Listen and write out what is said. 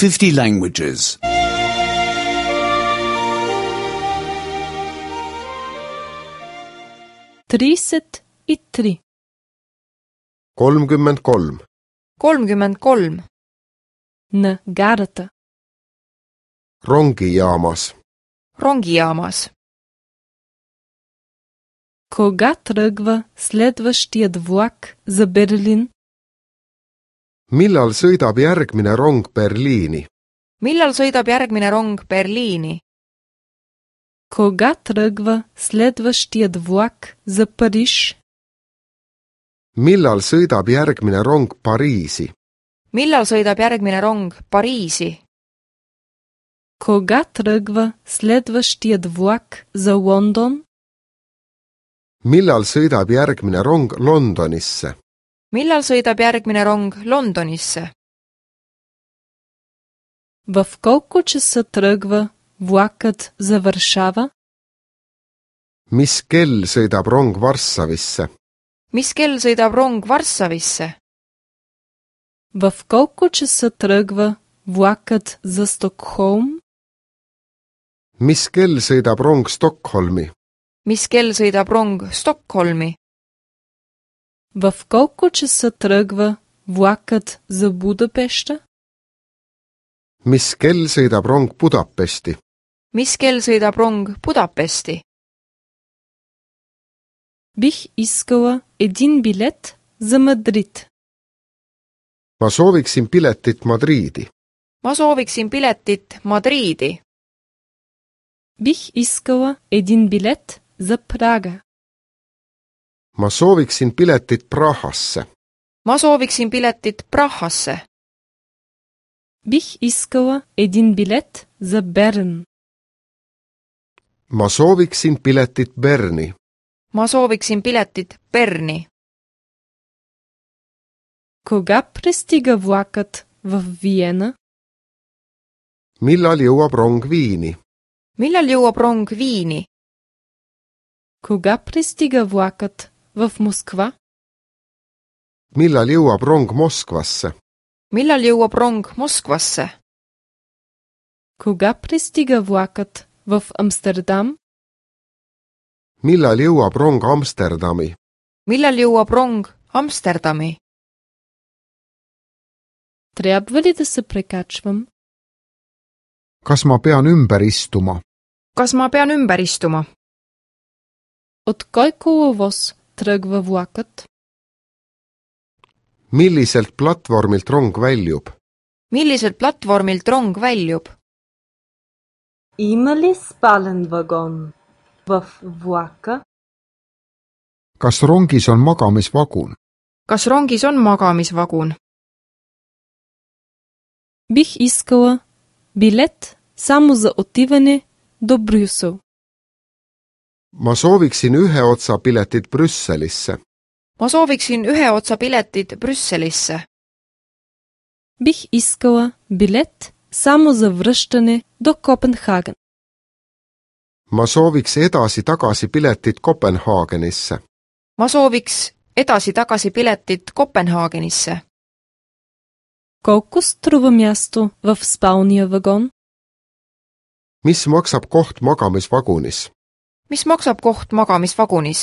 50 languages. 33. 33. 33. На гарата. Rongijaamas. Rongijaamas. Кога тръгва следващият влак за Берлин? Millal sõidab järgmine rong Berliini? Millal sõidab järgmine rong Berliini? Кога тръгва следващият влак за Париж? Millal sõidab järgmine rong Pariisi? Millal sõidab järgmine rong Pariisi? Кога тръгва следващият влак за Лондон? Millal sõidab järgmine rong Londonisse? Millal sõidab järgmine rong Londonisse? В колко часа тръгва влакът за Варшава? Mis kell sõidab rong Varssavisse? Mis kell sõidab rong Varssavisse? В колко часа тръгва влакът за Стокхолм? Mis kell sõidab rong Stockholmi? Mis kell sõidab rong Stockholmi? В колко часа тръгва влакът за Будапеща? Mis kell sõidab rong Budapesti? Mis kell sõidab rong Budapesti? Бих искала един билет за Мадрид. Ma sooviksin piletit Madriidi. Ma sooviksin piletit Madriidi. Бих искала един билет за Прага. Ma sooviksin piletit Prahasse. Ma sooviksin piletit Prahasse. Бих искала един билет за Берн. Ma sooviksin piletit Berni. Ma sooviksin piletit Berni. Кога пристига влакът в Виена? Millal jõuab rong Viini? Millal jõuab rong Viini? Кога пристига влакът в Москва? Millal jõuab rong Moskvasse? Millal jõuab rong Moskvasse? Кога пристига влакът в Амстердам? Millal jõuab rong Amsterdami? Millal jõuab rong Amsterdami? Трябва ли да се прекачвам? Kas ma pean ümber istuma? Kas ma pean ümber istuma? От кой коловоз тръгва влакът? Milliselt platvormilt rong väljub? Milliselt platvormilt rong väljub? Има ли спален вагон в влака? Kas rongis on magamisvagun? Kas rongis on magamisvagun? Бих искала билет само за отиване до Брюсел. Ma sooviksin ühe otsa piletit Brüsselisse. Ma sooviksin ühe otsa piletit Brüsselisse. Бих искала билет само за връщане до Копенхаген. Ma sooviks edasi-tagasi piletit Kopenhaagenisse. Ma sooviks edasi-tagasi piletit Kopenhaagenisse. Колко струва място в спалния вагон? Mis maksab koht magamisvagunis? Mis maksab koht magamisvagunis?